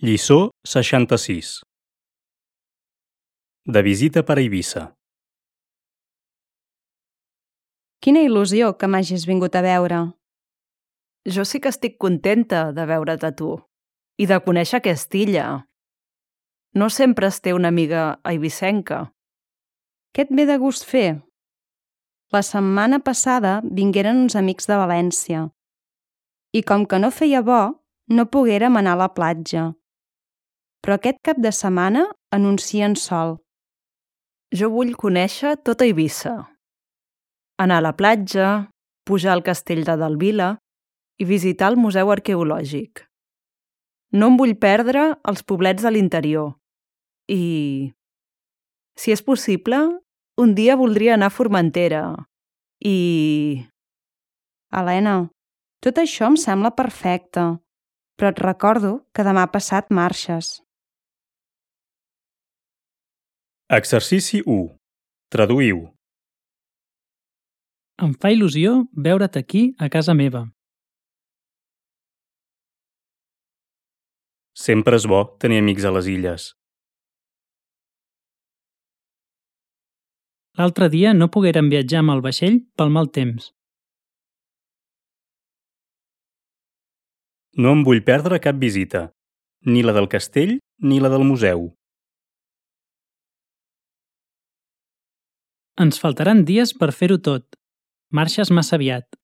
Lliçó 66. De visita per Eivissa. Quina il·lusió que m'hagis vingut a veure. Jo sí que estic contenta de veure't a tu i de conèixer aquesta illa. No sempre es té una amiga eivissenca. Què et ve de gust fer? La setmana passada vingueren uns amics de València i com que no feia bo, no poguérem anar a la platja. Però aquest cap de setmana anuncien sol. Jo vull conèixer tota Eivissa. Anar a la platja, pujar al castell de Delvila i visitar el museu arqueològic. No em vull perdre els poblets de l'interior. I, si és possible, un dia voldria anar a Formentera. I... Helena, tot això em sembla perfecte, però et recordo que demà passat marxes. Exercici 1. Traduïu. Em fa il·lusió veure't aquí a casa meva. Sempre és bo tenir amics a les illes. L'altre dia no poguérem viatjar amb el vaixell pel mal temps. No em vull perdre cap visita, ni la del castell ni la del museu. Ens faltaran dies per fer-ho tot. Marxes massa aviat.